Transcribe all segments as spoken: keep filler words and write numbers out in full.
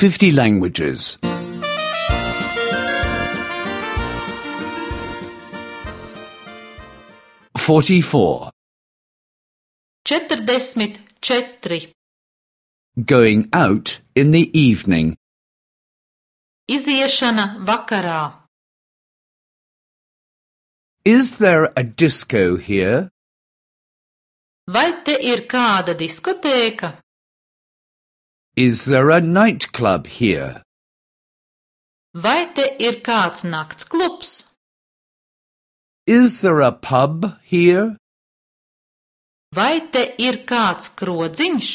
fifty languages. Forty-four. Četrdesmit četri. Going out in the evening. Iziešana vakarā. Is there a disco here? Vai te ir kāda diskotēka? Is there a nightclub here? Vai te ir kāds naktsklubs? Is there a pub here? Vai te ir kāds krodziņš?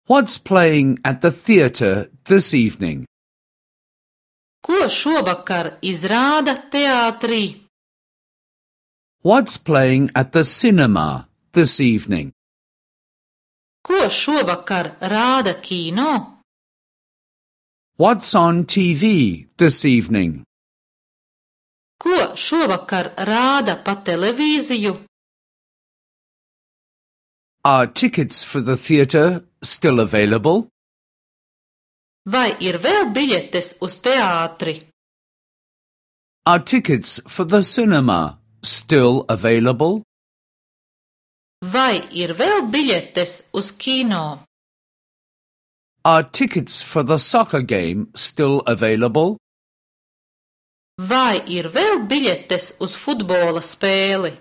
What's playing at the theatre this evening? Ko šovakar izrāda teātrī? What's playing at the cinema this evening? Ko šovakar rāda kino? What's on T V this evening? Ko šovakar rāda pa televīziju? Are tickets for the theatre still available? Vai ir vēl biļetes uz teātri? Are tickets for the cinema still available? Vai ir vēl biļetes uz kino? Are tickets for the soccer game still available? Vai ir vēl biļetes uz futbola spēli?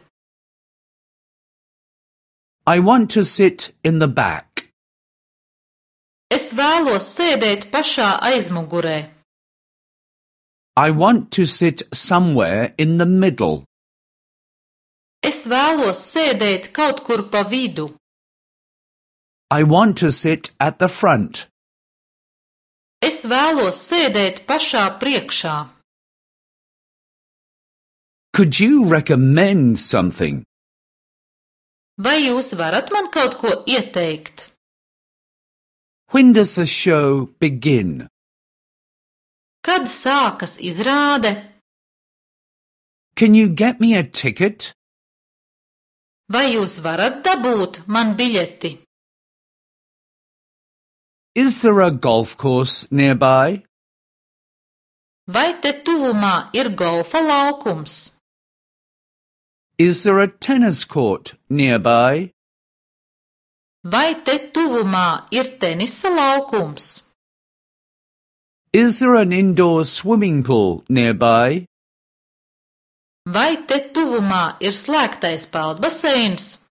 I want to sit in the back. Es vēlos sēdēt pašā aizmugurē. I want to sit somewhere in the middle. Es vēlos sēdēt kaut kur pa vidu. I want to sit at the front. Es vēlos sēdēt pašā priekšā. Could you recommend something? Vai jūs varat man kaut ko ieteikt? When does the show begin? Kad sākas izrāde? Can you get me a ticket? Vai jūs varat dabūt man biļeti? Is there a golf course nearby? Vai te tuvumā ir golfa laukums? Is there a tennis court nearby? Vai te tuvumā ir tenisa laukums? Is there an indoor swimming pool nearby? Vai te tuvumā ir slēgtais peldbaseins?